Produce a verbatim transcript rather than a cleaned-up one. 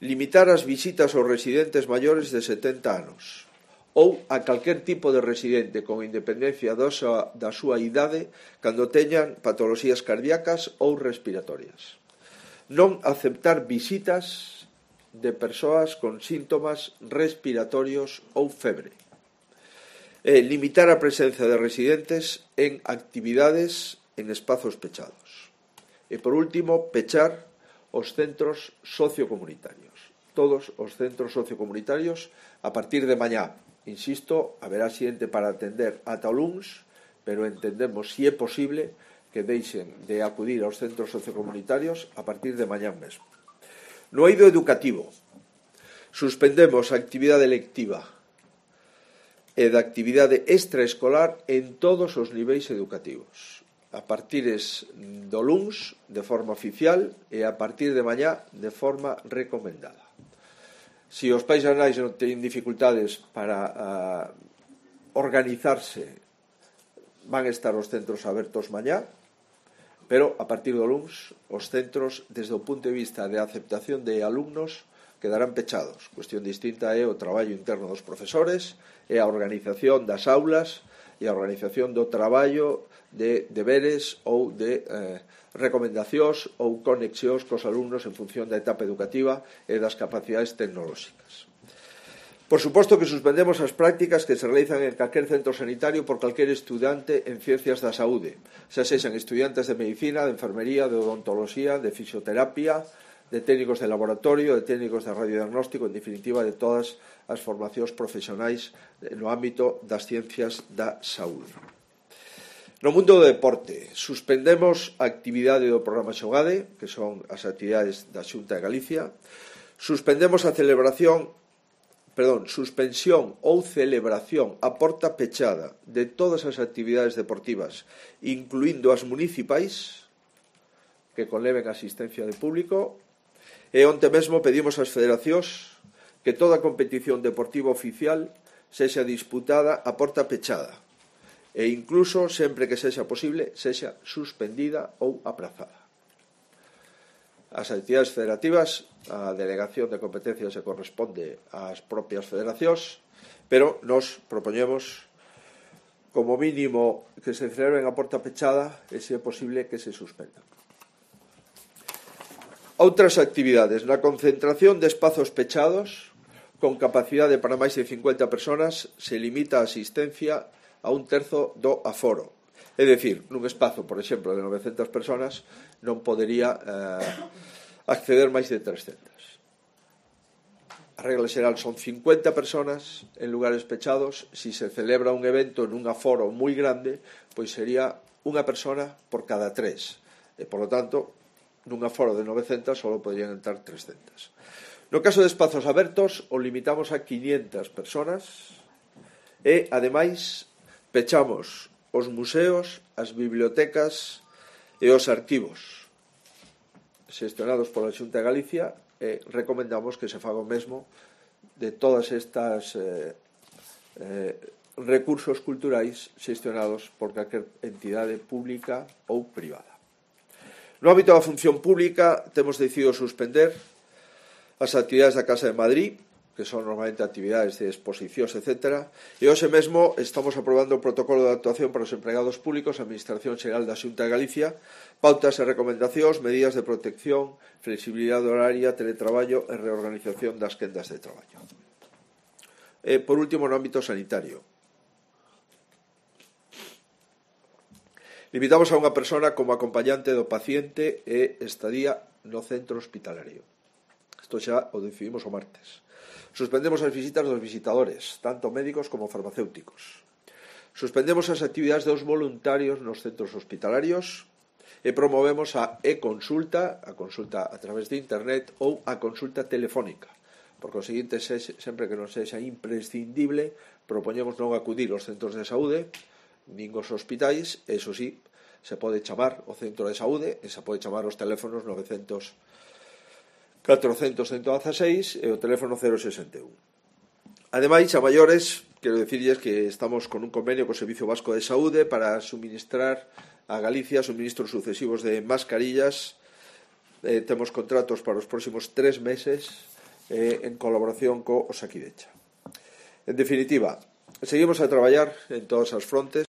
limitar as visitas aos residentes maiores de setenta anos ou a calquer tipo de residente con independencia da súa, da súa idade cando teñan patoloxías cardíacas ou respiratorias. Non aceptar visitas de persoas con síntomas respiratorios ou febre. E limitar a presenza de residentes en actividades en espazos pechados. E, por último, pechar os centros sociocomunitarios. Todos os centros sociocomunitarios a partir de mañá. Insisto, haberá xente para atender ata o luns, pero entendemos, si é posible, que deixen de acudir aos centros sociocomunitarios a partir de mañá mesmo. No eido educativo, suspendemos a actividade lectiva e da actividade extraescolar en todos os niveis educativos, a partir do luns de forma oficial e a partir de mañá de forma recomendada. Si os pais e nais non teñen dificultades para uh, organizarse, van estar os centros abertos mañá, pero a partir do luns os centros, desde o punto de vista de aceptación de alumnos, quedarán pechados. Cuestión distinta é o traballo interno dos profesores e a organización das aulas e a organización do traballo de deberes ou de eh, recomendacións ou conexións cos alumnos en función da etapa educativa e das capacidades tecnolóxicas. Por suposto que suspendemos as prácticas que se realizan en calquer centro sanitario por calquer estudante en ciencias da saúde, xa sexan estudiantes de medicina, de enfermería, de odontoloxía, de fisioterapia, de técnicos de laboratorio, de técnicos de radiodiagnóstico, en definitiva, de todas as formacións profesionais no ámbito das ciencias da saúde. No mundo do deporte, suspendemos a actividade do programa Xogade, que son as actividades da Xunta de Galicia, suspendemos a celebración, perdón, suspensión ou celebración a porta pechada de todas as actividades deportivas, incluindo as municipais, que conleven asistencia de público, e onte mesmo pedimos ás federacións que toda competición deportiva oficial sexa disputada a porta pechada e incluso, sempre que sexa posible, sexa suspendida ou aprazada. As actividades federativas, a delegación de competencias se corresponde ás propias federacións, pero nos propoñemos como mínimo que se celebren a porta pechada e, se é posible, que se suspendan. Outras actividades, na concentración de espazos pechados con capacidade para máis de cincuenta persoas se limita a asistencia a un terzo do aforo. É dicir, nun espazo, por exemplo, de novecentas persoas non podería eh, acceder máis de trescentas. A regla xeral son cincuenta persoas en lugares pechados. Si se celebra un evento nun aforo moi grande, pois sería unha persona por cada tres. E, por lo tanto, nun aforo de novecentas só poderían entrar trescentas. No caso de espazos abertos, o limitamos a quinientas persoas e, ademais, pechamos os museos, as bibliotecas e os arquivos xestionados pola Xunta de Galicia e recomendamos que se faga o mesmo de todas estas eh, eh, recursos culturais xestionados por calquer entidade pública ou privada. No ámbito da función pública, temos decidido suspender as actividades da Casa de Madrid, que son normalmente actividades de exposicións, etcétera, e hoxe mesmo estamos aprobando o protocolo de actuación para os empregados públicos, a Administración Xeral da Xunta de Galicia, pautas e recomendacións, medidas de protección, flexibilidade horaria, teletraballo e reorganización das quendas de traballo. E, por último, no ámbito sanitario, limitamos a unha persona como acompañante do paciente e estadía no centro hospitalario. Isto xa o decidimos o martes. Suspendemos as visitas dos visitadores, tanto médicos como farmacéuticos. Suspendemos as actividades dos voluntarios nos centros hospitalarios e promovemos a e-consulta, a consulta a través de internet ou a consulta telefónica. Por conseguinte, sempre que non sexa imprescindible, propoñemos non acudir aos centros de saúde, nin os hospitais, eso sí, se pode chamar o centro de saúde e se pode chamar os teléfonos novecentos, catrocentos, ciento dieciséis e o teléfono cero sesenta e un. Ademais, a maiores, quero dicirles que estamos con un convenio co Servicio Vasco de Saúde para suministrar a Galicia suministros sucesivos de mascarillas. Eh, temos contratos para os próximos tres meses eh, en colaboración co Osakidecha. En definitiva, seguimos a traballar en todas as frontes